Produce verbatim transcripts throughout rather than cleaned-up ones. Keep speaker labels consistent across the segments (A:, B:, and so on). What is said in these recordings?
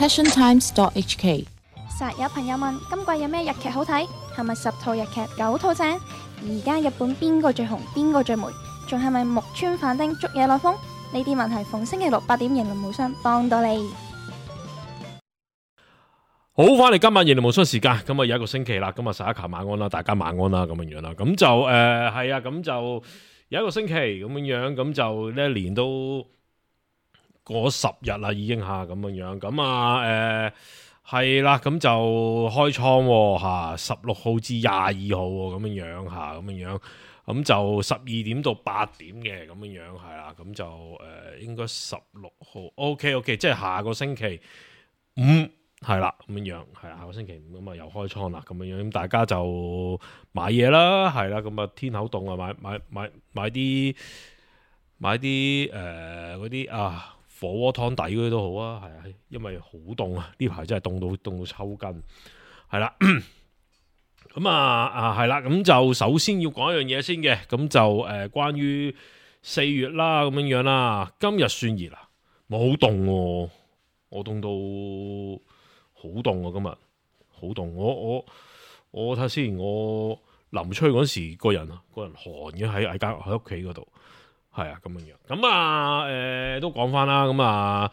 A: passion times dot h k。
B: 實有朋友問今季有咩日劇好睇？係咪十套日劇九套正？而家日本邊個最紅？邊個最霉？仲係咪木村反町捉野內風？呢啲問題逢星期六八點贏論無雙幫到你。
C: 好，翻嚟今晚贏論無雙時間，咁啊有一個星期啦，咁啊十一球晚安啦，大家晚安啦，咁樣樣啦，咁就誒係、呃、啊，咁就有一個星期咁樣樣，咁就呢一年都過十日啦，已經吓咁樣樣，咁啊誒係啦，咁就開倉吓，十六號至廿二號咁樣樣吓，咁樣樣。咁就十二點到八點嘅咁樣樣係啦，咁就誒、呃、應該十六號 OK OK，即係下個星期五係啦，咁樣樣係啦，下個星期五咁啊又開倉啦，咁樣樣咁大家就買嘢啦，係啦，咁啊天口凍啊，買買買買啲買啲誒嗰啲啊火鍋湯底嗰啲都好啊，係啊，因為好凍啊，呢排真係凍到凍到抽筋，係啦。咁啊啊係啦，咁就首先要講一樣嘢先嘅，咁就誒、呃、關於四月啦咁樣樣啦，今日算熱啦，冇好凍喎，我凍到好凍啊，今日好凍，我我我睇下先，我臨出去嗰時個人個人寒嘅喺喺間喺屋企嗰度，係啊咁樣樣，咁啊誒、呃、都講翻啦，咁啊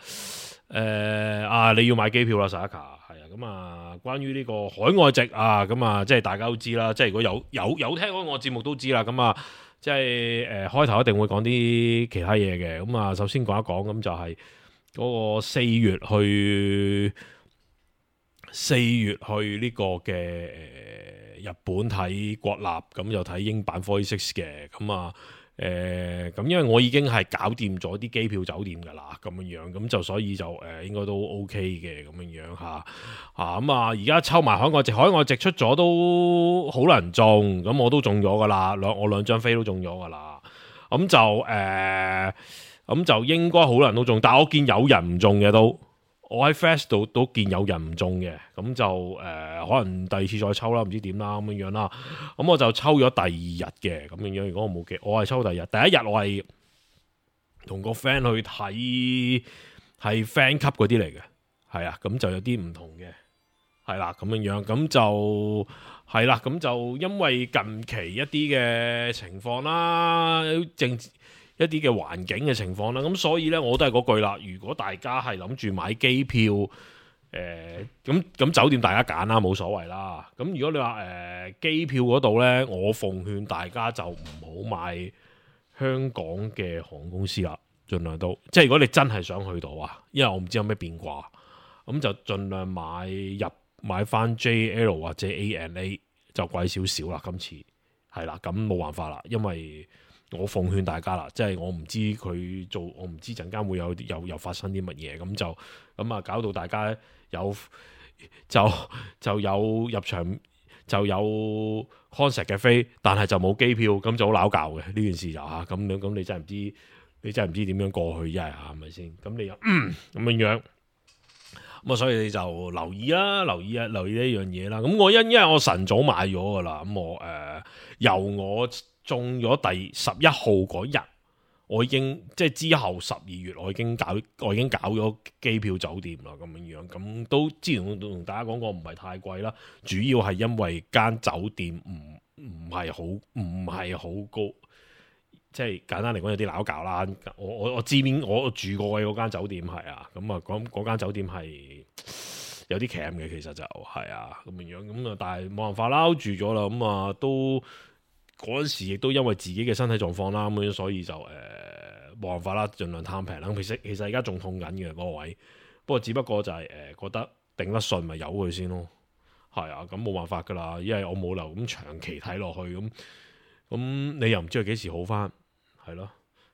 C: 誒啊你要買機票啦，沙卡。咁啊，關於呢個海外籍啊，咁啊，即係大家都知啦。即係如果有有有聽開我節目都知啦。咁啊，即係誒、呃、開頭一定會講啲其他嘢嘅。咁啊，首先講一講，咁就係嗰個四月去四月去呢個嘅誒、呃、日本睇國立，咁就睇英版四十六嘅。咁啊。誒咁、呃，因為我已經係搞掂咗啲機票酒店㗎啦，咁樣樣，咁就所以就誒、呃、應該都 OK 嘅咁樣樣嚇嚇咁啊！而家抽埋海外籍，海外籍出咗都好難中，咁我都中咗㗎啦，兩我兩張飛都中咗㗎啦，咁就誒咁、呃、就應該好多人都中，但係我見有人唔中嘅都。我喺 Fast 度都見有人唔中嘅，咁就誒、呃、可能第二次再抽啦，唔知點啦咁樣樣啦。咁我就抽咗第二日嘅咁樣樣。如果我冇記，我係抽第二日。第一日我係同個 friend 去睇，係 friend 級嗰啲嚟嘅，係啊，咁就有啲唔同嘅，係啦咁樣樣。咁就係啦，咁就因為近期一啲嘅情況啦，政治。一啲嘅環境嘅情況啦，咁所以咧我都係嗰句啦。如果大家係諗住買機票，誒咁咁酒店大家揀啦，冇所謂啦。咁如果你話誒、呃、機票嗰度咧，我奉勸大家就唔好買香港嘅航空公司啦，盡量都即係如果你真係想去到啊，因為我唔知有咩變卦，咁就盡量買入買翻 J L 或者 A N A 就貴少少啦。今次係啦，咁冇辦法啦，因為。我奉勸大家啦，即係我唔知佢做，我唔知陣間會有有有發生啲乜嘢，咁就咁啊，搞到大家有就就有入場就有 concert 嘅飛，但係就冇機票，咁就好拗教嘅呢件事就嚇咁樣，咁你真係唔知，你真係唔知點樣過去，一係係咪先？咁你又咁樣樣，咁啊，所以你就留意啦，留意啊，留意呢樣嘢啦。咁我因因為我晨早買咗噶啦，咁我誒、呃、由我。中咗第十一號嗰日，我已經即係之後十二月，我已經搞我已經搞咗機票酒店啦，咁樣樣咁都之前都同大家講過，唔係太貴啦，主要係因為間酒店唔唔係好唔係好高，即係簡單嚟講有啲撈搞啦。我我我知邊我住過嘅嗰間酒店係啊，咁啊嗰嗰間酒店係有啲鉗嘅，其實就係啊咁樣樣咁啊，但係冇辦法啦，住咗啦，咁啊都。嗰陣時亦都因為自己嘅身體狀況啦，咁樣所以就誒冇辦法啦，盡量貪平啦。其實其實而家仲痛緊嘅嗰個位，不過只不過就係、是、誒、呃、覺得頂得順咪由佢先咯。係啊，咁冇辦法噶啦，因為我冇留咁長期睇落去，咁咁你又唔知佢幾時好翻，係咯。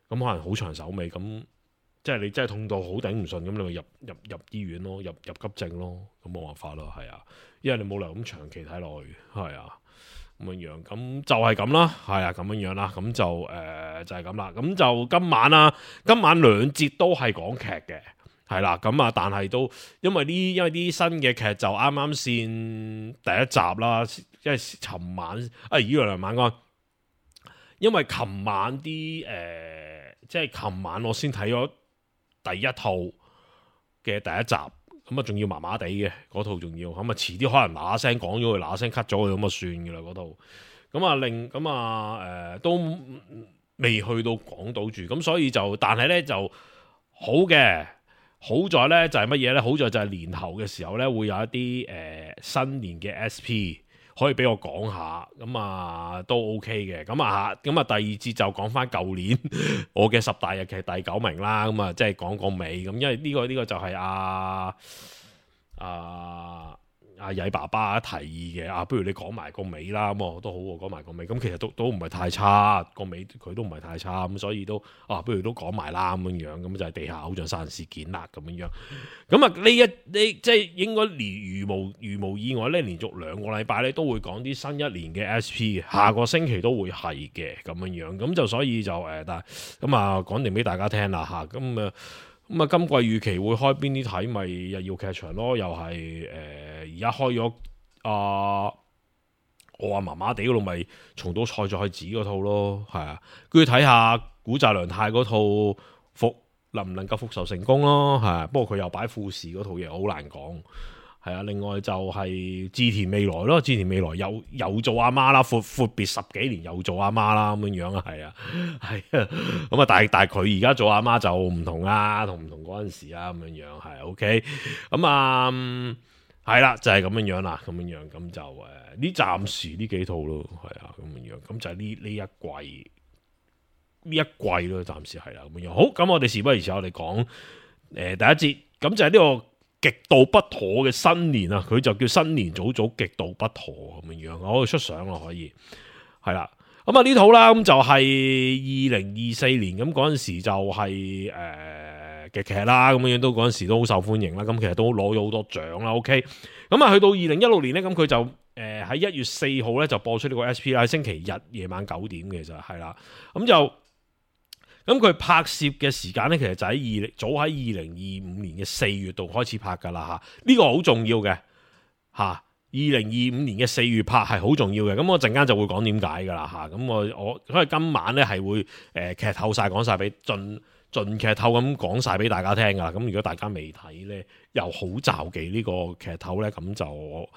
C: 咁可能好長手尾，咁即係你真係痛到好頂唔順，咁你咪入入入醫院咯，入入急症咯，咁冇辦法咯，係啊，因為你冇留咁長期睇落去，係啊。咁樣樣，咁就係咁啦，係啊，咁樣樣啦，咁就誒、呃、就係咁啦，咁就今晚啦，今晚兩節都係講劇嘅，係啦，咁啊，但係都因為呢，因為啲新嘅劇就啱啱先第一集啦，因為尋晚啊，依兩晚安，因為尋晚啲誒、呃，即係尋晚我先睇咗第一套嘅第一集。咁啊仲要麻麻地嘅嗰套，仲要咁啊遲啲可能嗱嗱聲講咗佢，嗱嗱聲 cut 咗佢咁啊算嘅啦嗰套。咁啊令咁啊誒都未去到港島住，咁所以就但係咧就好嘅。好在咧就係乜嘢咧？好在就係年頭嘅時候咧，會有一啲誒、呃、新年嘅 S P 可以俾我講下，咁啊都 OK 嘅。咁啊咁啊第二節就講翻舊年我嘅十大日劇第九名啦。咁啊即係講個尾咁，因為呢、這個呢、這個就係阿阿阿曳爸爸提議嘅啊，不如你講埋個尾啦。咁我都好喎，講埋個尾。咁其實都都唔係太差，個尾佢都唔係太差，咁所以都啊，不如都講埋啦咁樣樣。咁就係地下偶像殺人事件啦咁樣樣。咁啊呢一呢即係應該連如無如無意外咧，連續兩個禮拜咧都會講啲新一年嘅 S P 嘅，下個星期都會係嘅咁樣樣。咁就所以就誒，但係咁啊講定俾大家聽啦嚇。咁啊咁啊，今季預期會開邊啲睇咪日曜劇場咯，又係誒而家開咗啊，我話麻麻地嗰度咪重蹈賽再子嗰套咯，係啊，跟住睇下古澤良太嗰套復能唔能夠復仇成功咯，係啊，不過佢又擺富士嗰套嘢好難講。係啊，另外就係志田未來咯，志田未來又又做阿媽啦，闊闊別十幾年又做阿媽啦咁樣樣啊，係啊，係啊，咁啊，但係但係佢而家做阿媽就唔同啊，同唔同嗰陣時啊咁樣樣係 OK，咁啊係啦，就係咁樣樣啦，咁樣樣咁就誒呢暫時呢幾套咯，係啊咁樣樣，咁就係呢呢一季呢一季咯，暫時係啦咁樣樣。好，咁我哋事不宜遲，我哋講誒第一節，咁就係呢個極度不妥嘅新年啊，佢就叫新年早早極度不妥咁樣樣，我可以出相咯，可以係啦。咁啊呢套啦，咁就係二零二四年咁嗰陣時就係誒嘅劇啦，咁樣樣都嗰陣時都好受歡迎啦。咁其實都攞咗好多獎啦。OK，咁啊去到二零一六年咧，咁佢就誒喺一月四號咧就播出呢個 S P 啦，星期日夜晚九點嘅就係啦，咁就。咁佢拍攝嘅時間咧，其實就喺二早喺二零二五年嘅四月度開始拍噶啦嚇，呢個好重要嘅嚇。二零二五年嘅四月拍係好重要嘅，咁我陣間就會講點解噶啦嚇。咁我我所以今晚咧係會誒、呃、劇透晒講晒俾盡盡劇透咁講晒俾大家聽噶啦。咁如果大家未睇咧，又好詐忌呢個劇透咧，咁就。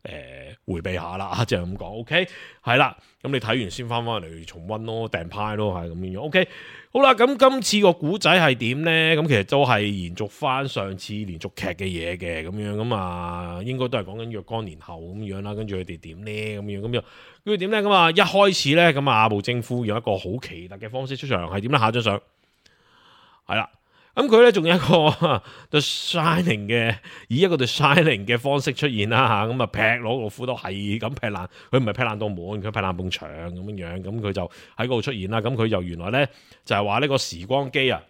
C: 誒、呃，回避下啦，就係咁講，OK，係啦，咁你睇完先翻翻嚟重溫咯，訂派咯，係咁樣樣，OK，好啦，咁今次個古仔係點咧？咁其實都係延續翻上次連續劇嘅嘢嘅，咁樣咁啊，應該都係講緊若干年後咁樣啦，跟住佢哋點咧？咁樣咁樣，跟住點咧？咁啊，一開始咧，咁啊，阿部正夫用一個好奇特嘅方式出場，係點咧？下張相係啦。咁佢咧仲有一個 The Shining 嘅，以一個 The Shining 嘅方式出現啦吓，咁啊劈攞個斧刀係咁劈爛，佢唔係劈爛到門，佢劈爛埲牆咁樣樣，咁佢就喺嗰度出現啦。咁佢就原來咧就係話呢個時光機啊，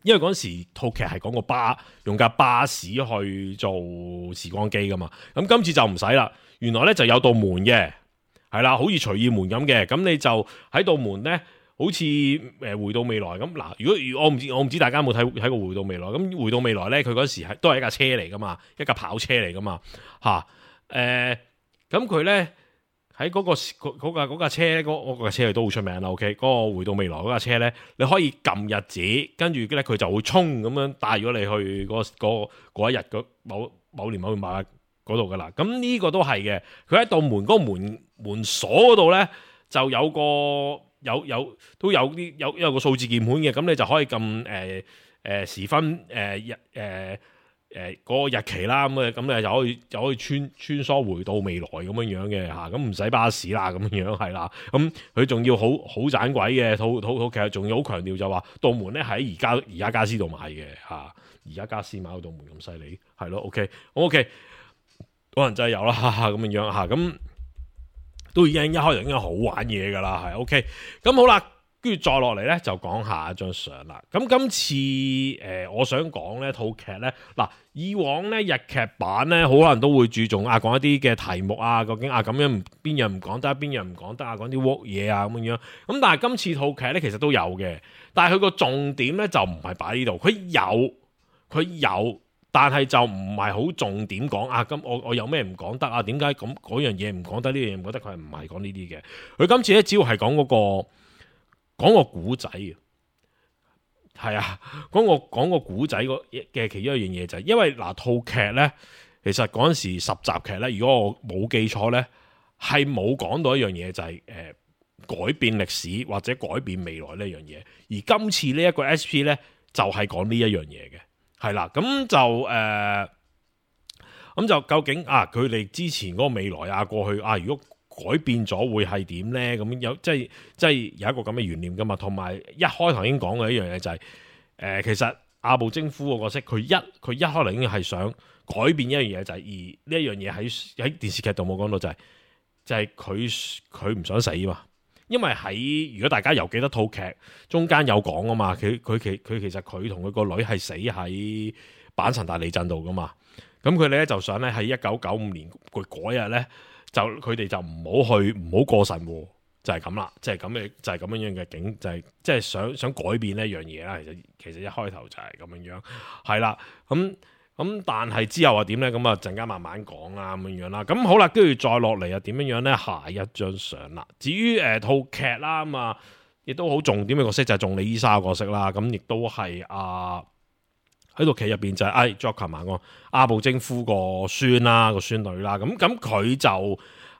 C: 因為嗰陣時套劇係講個巴用架巴士去做時光機噶嘛，咁今次就唔使啦，原來咧就有道門嘅，係啦，好似隨意門咁嘅，咁你就喺道門咧。好似誒回到未來咁嗱，如果我唔知我唔知大家有冇睇睇過回到未來咁，回到未來咧，佢嗰時係都係一架車嚟噶嘛，一架跑車嚟噶嘛嚇誒，咁佢咧喺嗰個嗰架嗰架車嗰嗰架車都好出名啦。OK，嗰個回到未來嗰架車咧，你可以撳日子，跟住咧佢就會衝咁樣帶咗你去嗰嗰嗰一日嗰某某年某月某日嗰度噶啦。咁呢個都係嘅，佢喺道門嗰個門門鎖嗰度咧就有個。有有都有啲有有個數字鍵盤嘅，咁你就可以撳誒誒時分誒日誒誒嗰個日期啦，咁啊咁你就可以就可以穿穿梭回到未來咁樣樣嘅嚇，咁唔使巴士啦咁樣樣係啦，咁佢仲要好好盞鬼嘅，套套套其實仲要好強調就話道門咧喺而家而家家私度買嘅嚇，而家家私買到道門咁犀利係咯 ，OK OK，可能真係有啦咁樣樣嚇咁。都已經一開始已經好玩嘢噶啦，係 OK。咁好啦，跟住再落嚟咧就講下一張相啦。咁今次誒、呃，我想講呢套劇咧，嗱以往咧日劇版咧，好多人都會注重啊講一啲嘅題目啊，究竟啊咁樣邊樣唔講得，邊樣唔講得啊，講啲 work 嘢啊咁樣。咁但係今次套劇咧其實都有嘅，但係佢個重點咧就唔係擺呢度，佢有佢有。但係就唔係好重點講啊！咁我我有咩唔講得啊？點解咁嗰樣嘢唔講得？呢樣嘢唔覺得佢係唔係講呢啲嘅？佢今次咧只要係講嗰個講個古仔嘅。係啊，講個講個古仔嘅其中一樣嘢就係，因為嗱套劇咧，其實嗰陣時十集劇咧，如果我冇記錯咧，係冇講到一樣嘢就係、是、誒、呃、改變歷史或者改變未來呢樣嘢，而今次呢一個 S P 咧就係講呢一樣嘢嘅，係啦，咁就誒。呃咁就究竟啊，佢哋之前嗰個未來啊，過去啊，如果改變咗會係點咧？咁有即係即係有一個咁嘅懸念噶嘛。同埋一開頭已經講嘅一樣嘢就係、是，誒、呃、其實阿部征夫個角色，佢一佢一開頭已經係想改變一樣嘢，就係、是、而呢一樣嘢喺喺電視劇度冇講到、就是，就係就係佢佢唔想死嘛。因為喺如果大家有記得套劇中間有講啊嘛，佢佢其佢其實佢同佢個女係死喺阪神大地震度噶嘛。咁佢哋咧就想咧喺一九九五年佢嗰日咧就佢哋就唔好去唔好過神喎，就係咁啦，即係咁嘅就係咁樣樣嘅景，就係即係想想改變呢一樣嘢啦。其實其實一開頭就係咁樣樣，係啦，咁咁但係之後啊點咧？咁啊陣間慢慢講啦，咁樣樣啦。咁好啦，跟住再落嚟啊點樣樣咧？下一張相啦。至於誒、呃、套劇啦咁啊，亦都好重點嘅角色就係仲李伊莎嘅角色啦。咁亦都係啊。喺套劇入邊就係、是、哎 Joker 嘛個阿部征夫個孫啦個孫女啦，咁咁佢就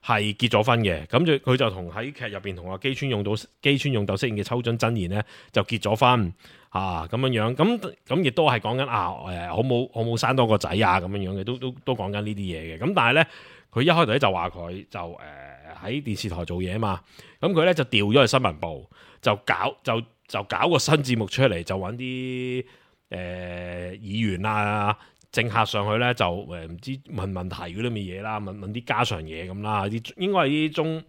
C: 係結咗婚嘅，咁就佢就同喺劇入邊同阿基川勇斗基川勇斗飾演嘅秋津真言咧就結咗婚啊咁樣樣，咁咁亦都係講緊啊誒好冇好冇生多個仔啊咁樣樣嘅，都都都講緊呢啲嘢嘅，咁但係咧佢一開頭咧就話佢就誒喺、呃、電視台做嘢啊嘛，咁佢咧就調咗去新聞部，就搞就就搞個新節目出嚟，就揾啲。誒、呃、議員啊，政客上去咧就誒唔、呃、知問問題嗰啲咁嘅嘢啦，問問啲家常嘢咁啦，啲應該係啲中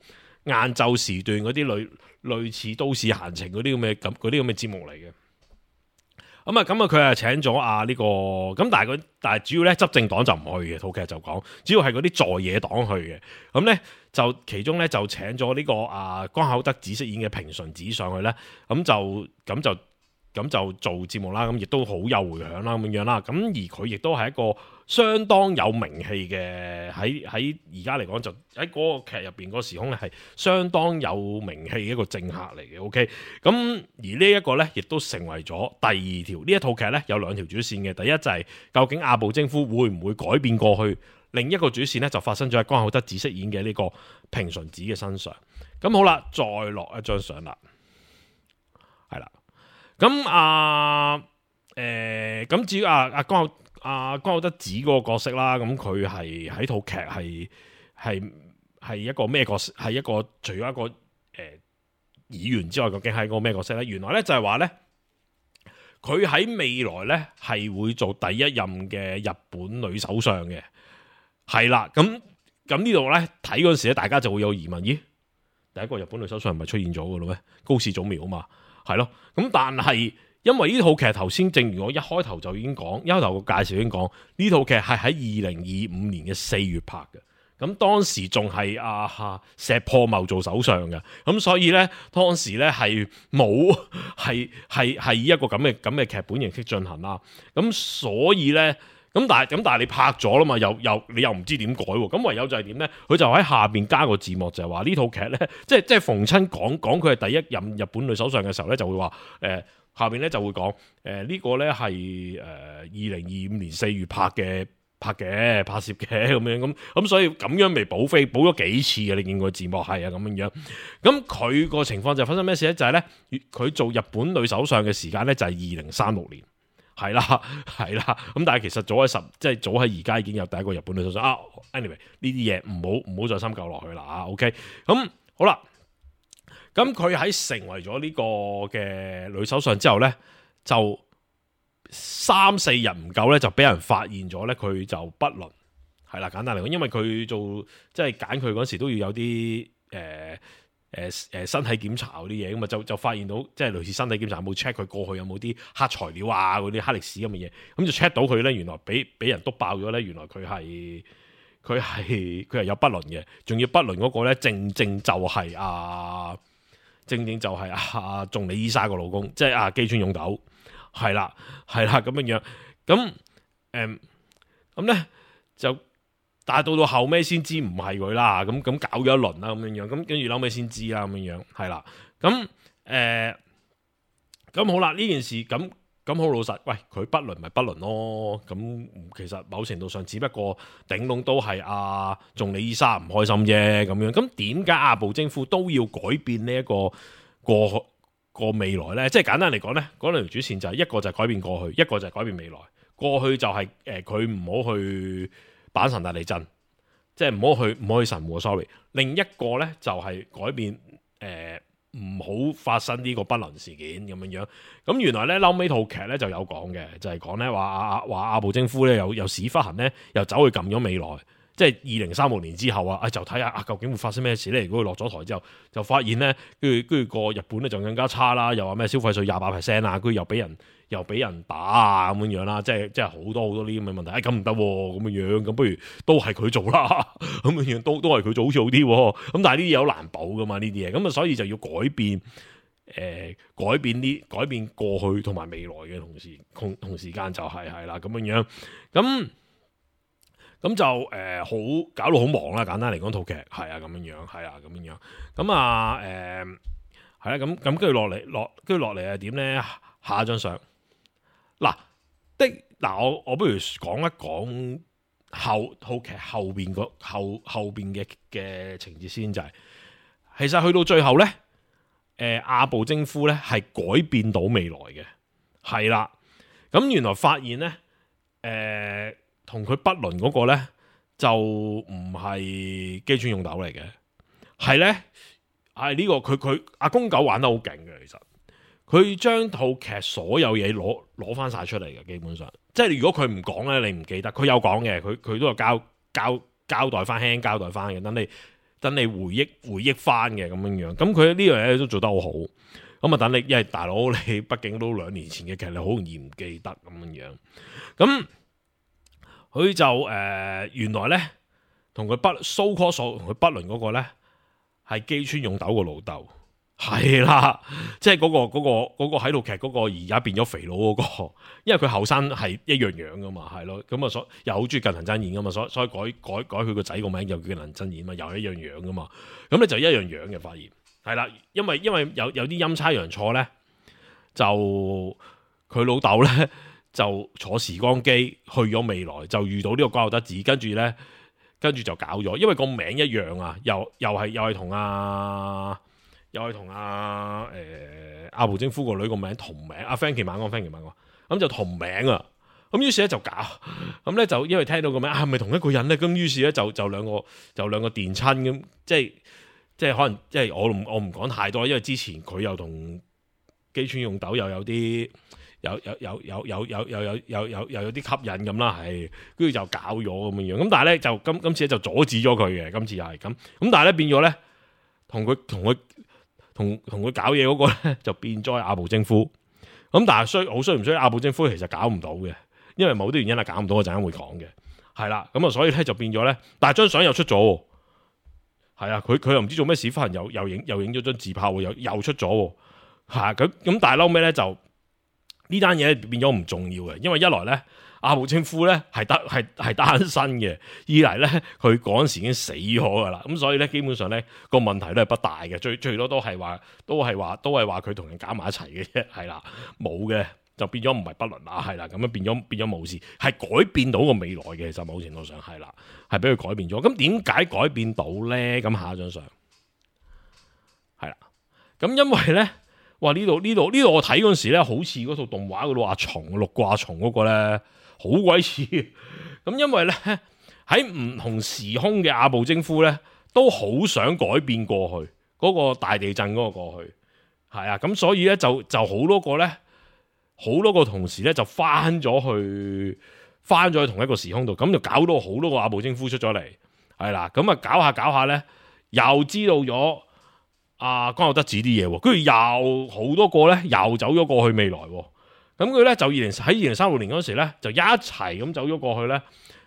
C: 晏晝時段嗰啲類類似都市閒情嗰啲咁嘅咁嗰啲咁嘅節目嚟嘅。咁啊咁啊，佢啊請咗啊呢個咁，但係佢但係主要咧執政黨就唔去嘅，套劇就講主要係嗰啲在野黨去嘅。咁咧就其中咧就請咗呢、這個啊江口德子飾演嘅平純子上去咧，咁就咁就。咁就做節目啦，咁亦都好有迴響啦，咁樣樣啦。咁而佢亦都係一個相當有名氣嘅，喺喺而家嚟講就喺嗰個劇入邊嗰個時空咧係相當有名氣嘅一個政客嚟嘅。OK，咁而呢一個咧亦都成為咗第二條呢一套劇咧有兩條主線嘅。第一就係、是、究竟阿部征夫會唔會改變過去？另一個主線咧就發生咗喺江口德子飾演嘅呢個平純子嘅身上。咁好啦，再落一張相啦，係啦。咁啊，誒、呃，咁至於阿阿江阿江口德子嗰個角色啦，咁佢係喺套劇係係係一個咩角色？係一個除咗一個誒、呃、議員之外，究竟係一個咩角色咧？原來咧就係話咧，佢喺未來咧係會做第一任嘅日本女首相嘅，係啦。咁咁呢度咧睇嗰陣時咧，大家就會有疑問：咦，第一個日本女首相係咪出現咗嘅咯？咩高市早苗啊嘛？係咯，咁但係因為呢套劇頭先，正如我一開頭就已經講，一開頭個介紹已經講，呢套劇係喺二零二五年嘅四月拍嘅，咁當時仲係阿石破茂做首相嘅，咁所以咧當時咧係冇係係係以一個咁嘅咁嘅劇本形式進行啦，咁所以咧咁但係咁但係你拍咗啦嘛，又又你又唔知點改喎，咁唯有就係點咧？佢就喺下邊加個字幕，就係話呢套劇咧，即係即係逢親講講佢係第一任日本女首相嘅時候咧，就會話誒、呃、下邊咧就會講誒、呃這個、呢個咧係誒二零二五年四月拍嘅拍嘅拍攝嘅咁樣咁咁，所以咁樣未補飛補咗幾次嘅，你見過字幕係啊咁樣樣。咁佢個情況就發生咩事咧？就係咧佢做日本女首相嘅時間咧就係二零三六年。係啦，係啦，咁但係其實早喺十，即係早喺而家已經有第一個日本女首相啊。Anyway 呢啲嘢唔好唔好再深究落去啦啊。OK，咁好啦，咁佢喺成為咗呢個嘅女首相之後咧，就三四日唔夠咧，就俾人發現咗咧，佢就不倫。係啦，簡單嚟講，因為佢做即係揀佢嗰時都要有啲誒。呃誒誒，身體檢查嗰啲嘢咁啊，就就發現到即係類似身體檢查有冇 check 佢過去有冇啲黑材料啊，嗰啲黑歷史咁嘅嘢，咁就 check 到佢咧，原來俾俾人督爆咗咧，原來佢係佢係佢係有不倫嘅，仲要不倫嗰個咧，正正就係啊，正正就係啊，仲李伊莎個老公，即係啊基川勇斗，係啦係啦咁樣樣，咁誒咁咧就。但係到到後尾先知唔係佢啦，咁咁搞咗一輪啦，咁樣樣，咁跟住後尾先知啦，咁樣樣，係啦，咁誒，咁、呃、好啦，呢件事咁咁好老實，喂，佢不倫咪不倫咯。咁其實某程度上，只不過頂籠都係阿仲李伊莎唔開心啫。咁樣，咁點解阿部征夫都要改變呢一個過個未來呢？即係簡單嚟講呢，嗰兩條主線就係一個就係改變過去，一個就係改變未來。過去就係誒佢唔好去阪神大地震，即係唔好去唔好去神戶 sorry。另一個呢，就係改變誒。呃唔好發生呢個不倫事件咁樣樣，咁原來咧後尾套劇咧就有講嘅，就係講咧話阿話阿部征夫咧有有屎忽痕咧，又走去撳咗未來，即係二零三六年之後啊，就睇下啊究竟會發生咩事咧？如果佢落咗台之後，就發現咧，跟住跟住個日本咧就更加差啦，又話咩消費稅廿八 percent 啊，跟住又俾人又俾人打啊咁樣樣啦，即係即係好多好多呢啲咁嘅問題，誒咁唔得咁樣樣，咁不如都係佢做啦，咁樣樣都都係佢做好似好啲，咁但係呢啲有難保噶嘛呢啲嘢，咁啊所以就要改變，誒、呃、改變啲改變過去同埋未來嘅同時同同時間就係係啦咁樣樣，咁咁就誒好、呃、搞到好忙啦，簡單嚟講套劇係啊咁樣樣係啊咁樣樣，咁啊誒係啦咁咁跟住落嚟落跟住落嚟係點咧？下一張相。嗱的嗱，我我不如講一講後套劇後邊個後後邊嘅嘅情節先，就係、是、其實去到最後咧，誒、呃、阿部征夫咧係改變到未來嘅，係啦，咁原來發現咧，誒同佢不倫嗰個咧就唔係基川勇斗嚟嘅，係咧係呢個佢佢阿公狗玩得好勁嘅，其實。佢將套劇所有嘢攞攞翻晒出嚟嘅，基本上，即係如果佢唔講咧，你唔記得。佢有講嘅，佢佢都有交交交代翻，輕輕交代翻嘅。等你等你回憶回憶翻嘅咁樣樣。咁佢呢樣嘢都做得好好。咁啊，等你，因為大佬你畢竟都兩年前嘅劇，你好容易唔記得咁樣樣。咁佢就誒、呃、原來咧，同佢不 so call 同佢不倫嗰個咧，係基川勇斗個老豆。係啦，即係嗰、嗰個嗰、嗰個、嗰個喺度劇嗰個而家變咗肥佬嗰、嗰個，因為佢後生係一樣樣噶嘛，係咯，咁啊所又好中意近藤真彥噶嘛，所以所以改改改佢個仔個名又叫近藤真彥嘛，又係一樣樣噶嘛，咁咧就一樣樣嘅發現，係啦，因為因為有有啲陰差陽錯咧，就佢老豆咧就坐時光機去咗未來，就遇到呢個關口德子，跟住咧跟住就搞咗，因為個名一樣啊，又又係又係同阿。又係同阿誒阿部征夫個女個名同名，阿 Frankie 晚安 Frankie 晚安，咁就同名啊！咁於是咧就搞，咁咧就因為聽到個名係咪同一個人咧？咁於是咧就就兩個就兩個電親咁，即係即係可能即係我我唔講太多，因為之前佢又同基川勇斗又有啲有有有有有有有有有有又有啲吸引咁啦，係跟住就搞咗咁樣樣。咁但係咧就今今次咧就阻止咗佢嘅，今次又係咁。咁但係咧變咗咧同佢同佢。同同佢搞嘢嗰個咧就變咗阿部征夫，咁但係衰好衰唔衰？阿部征夫其實搞唔到嘅，因為某啲原因係搞唔到，我陣間會講嘅，係啦，咁啊所以咧就變咗咧，但係張相又出咗，係啊，佢佢又唔知做咩屎忽痕，又又影又影咗張自拍，又又出咗，係咁咁，但係嬲尾咧就呢單嘢變咗唔重要嘅，因為一來咧阿部征夫咧係得係係單身嘅，二嚟咧佢嗰陣時已經死咗噶啦，咁所以咧基本上咧個問題都係不大嘅，最最多都係話都係話都係話佢同人搞埋一齊嘅啫，係啦，冇嘅就變咗唔係不倫啦，係啦，咁樣變咗變咗冇事，係改變到個未來嘅，其實某程度上係啦，係俾佢改變咗。咁點解改變到咧？咁下一張相係啦，咁因為咧。哇！呢度呢度呢度我睇嗰陣時咧，好似嗰套動畫嗰度阿松六掛松嗰個咧，好鬼似。咁因為咧喺唔同時空嘅阿部征夫咧，都好想改變過去嗰、嗰個大地震嗰個過去，係啊。咁所以咧就就好多個咧，好多個同時咧就翻咗去翻咗去同一個時空度，咁就搞到好多個阿部征夫出咗嚟，係啦。咁啊搞下搞下咧，又知道咗。啊，關口德子啲嘢，跟住又好多個咧，又走咗過去未來，咁佢咧就二零喺二零三六年嗰時咧，就一齊咁走咗過去咧，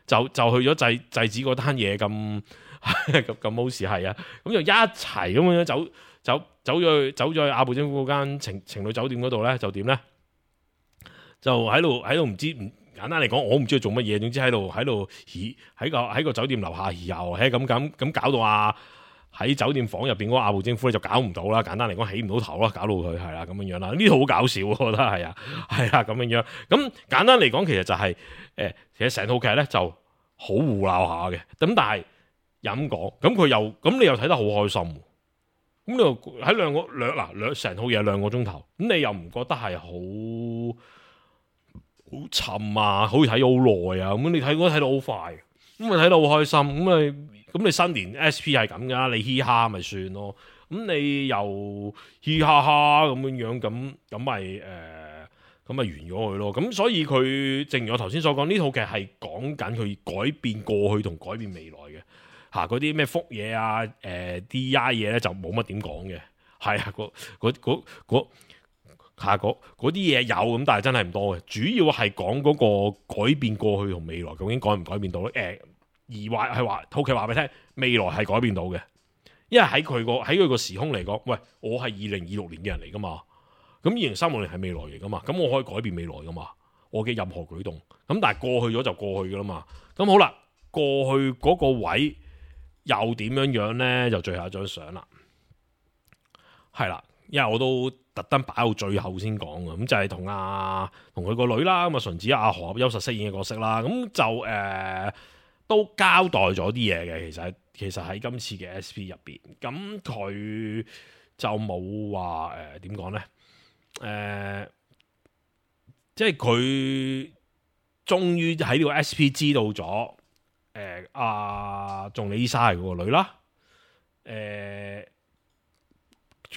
C: 就就去咗制制止嗰單嘢咁咁咁好事係啊，咁就一齊咁樣走走走咗去走咗去阿部征夫嗰間情情侶酒店嗰度咧，就點咧？就喺度喺度唔知唔簡單嚟講，我唔知佢做乜嘢，總之喺度喺度喺個喺個酒店樓下遊，係咁咁咁搞到啊！喺酒店房入邊嗰個阿部征夫咧就搞唔到啦，簡單嚟講起唔到頭啦，搞到佢係啦咁樣樣啦，呢套好搞笑，我覺得係啊，係啊咁樣樣。咁簡單嚟講，其實就係、是、誒、呃，其實成套劇咧就好胡鬧下嘅。咁但係又咁講，咁佢又咁你又睇得好開心，咁你又喺兩個兩嗱兩成套嘢兩個鐘頭，咁你又唔覺得係好好沉啊？好似睇咗好耐啊？咁你睇嗰睇到好快，咁咪睇到好開心，咁你。咁你新年 S P 係咁噶，你嘻哈咪算咯。咁你又嘻哈哈咁樣樣，咁咁咪誒，咁咪完咗佢咯。咁所以佢正如我頭先所講，呢套劇係講緊佢改變過去同改變未來嘅嚇。嗰啲咩福嘢啊、誒 D I 嘢咧就冇乜點講嘅。係啊，嗰嗰嗰嗰嚇嗰啲嘢有咁，但係真係唔多嘅。主要係講嗰個改變過去同未來究竟改唔改變到咧？誒、呃。而話係話套劇話俾你聽，未來係改變到嘅，因為喺佢個喺佢個時空嚟講，喂，我係二零二六年嘅人嚟噶嘛，咁二零三六年係未來嚟噶嘛，咁我可以改變未來噶嘛，我嘅任何舉動，咁但係過去咗就過去噶啦嘛，咁好啦，過去嗰個位又點樣樣咧？就最後一張相啦，係啦，因為我都特登擺到最後先講嘅，咁就係同阿同佢個女啦，咁啊純子阿何優實飾演嘅角色啦，咁就誒。呃都交代咗啲嘢嘅，其實其實喺今次嘅 S P 入邊，咁佢就冇話誒點講咧？誒、呃，即係佢終於喺呢個 S P 知道咗，誒阿仲里依莎係佢個女啦，誒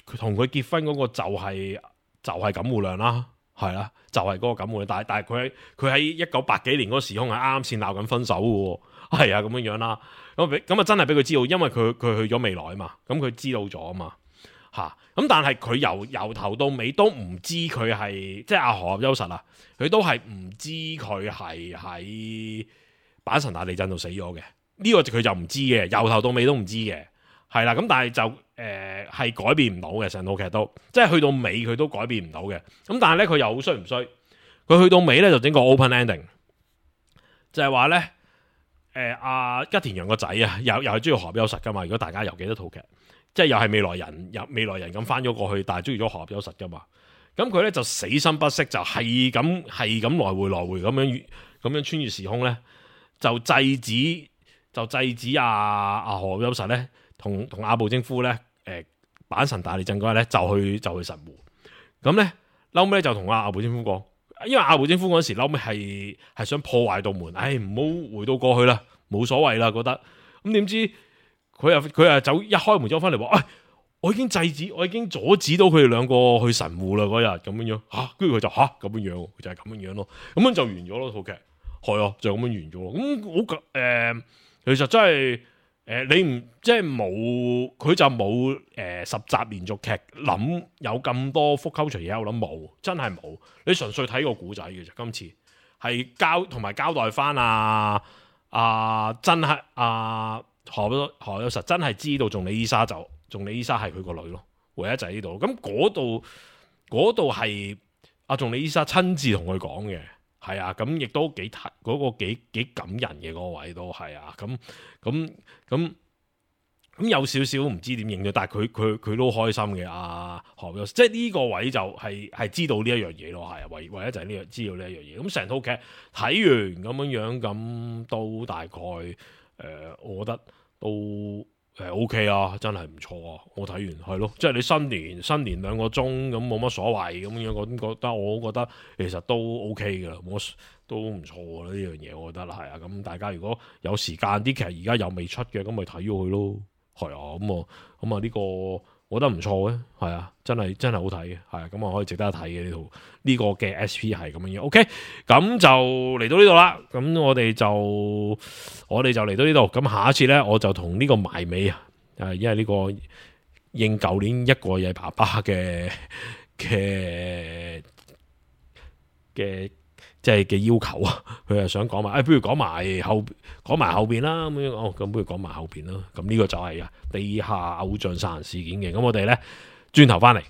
C: 佢同佢結婚嗰個就係、是、就係錦戶亮啦，係啦，就係、是、嗰個錦戶亮，但係但係佢佢喺一九八幾年嗰個時空係啱啱先鬧緊分手嘅喎。係啊，咁樣樣啦，咁咁啊真係俾佢知道，因為佢佢去咗未來啊嘛，咁佢知道咗啊嘛，吓，咁但係佢由由頭到尾都唔知佢係，即係阿何優實啊，佢都係唔知佢係喺阪神大地震度死咗嘅，呢、這個佢就唔知嘅，由頭到尾都唔知嘅，係啦，咁但係就誒係、呃、改變唔到嘅，成套劇都，即係去到尾佢都改變唔到嘅，咁但係咧佢又好衰唔衰，佢去到尾咧就整個 open ending，就係話咧。誒阿、呃、吉田洋個仔啊，又又係中意何優實噶嘛？如果大家又記得套劇，即係又係未來人，又未來人咁翻咗過去，但係中意咗何優實噶嘛？咁佢咧就死心不息，就係咁係咁來回來回咁樣咁樣穿越時空咧，就制止就制止阿、啊、阿、啊、何優實咧，同同阿部征夫咧，誒阪神大地震嗰日咧就去就去神戶，咁咧後尾就同阿阿部征夫講。因為阿部征夫嗰時後尾係係想破壞道門，唉唔好回到過去啦，冇所謂啦，覺得咁點知佢又佢又走一開門走翻嚟話，唉、哎，我已經制止，我已經阻止到佢哋兩個去神戶啦嗰日咁樣樣吓，跟住佢就吓咁樣樣，就係、是、咁樣樣咯，咁樣就完咗咯套劇，係啊，就咁樣完咗咯，咁好誒，其實真係。誒、呃，你唔即係冇，佢就冇誒、呃、十集連續劇諗有咁多復溝除嘢，我諗冇，真係冇。你純粹睇個古仔嘅啫，今次係交同埋交代翻啊啊，真係啊何何優實真係知道仲里依莎就仲里依莎係佢個女咯，唯一就喺呢度。咁嗰度嗰度係阿仲里依莎親自同佢講嘅。係啊，咁亦都幾嗰、嗰個幾幾感人嘅嗰個位都係啊，咁咁咁咁有少少唔知點應對，但係佢佢佢都開心嘅啊，何優實即係呢個位就係、係、係知道呢一樣嘢咯，係啊，唯唯一就係呢樣知道呢一樣嘢。咁成套劇睇完咁樣樣，咁都大概誒、呃，我覺得都。誒 O K 啊，真係唔錯啊！我睇完係咯，即係你新年新年兩個鐘咁冇乜所謂咁樣，我覺得我覺得其實都 O K 噶啦，我都唔錯噶啦呢樣嘢，我覺得係啊。咁大家如果有時間啲劇而家又未出嘅，咁咪睇咗佢咯。係啊，咁啊咁啊呢個我覺得唔錯嘅，係啊，真係真係好睇嘅，係啊，咁啊可以值得一睇嘅呢套呢個嘅 S P 係咁樣樣。O K，咁就嚟到呢度啦。咁我哋就我哋就嚟到呢度。咁下一次咧，我就同呢個埋尾啊，誒，因為呢個應舊年一個嘢爸爸嘅嘅嘅即係嘅要求啊，佢係想講埋，誒、哎，不如講埋後講埋後邊啦，咁樣哦，咁不如講埋後邊啦。咁呢個就係啊地下偶像殺人事件嘅。咁我哋咧轉頭翻嚟。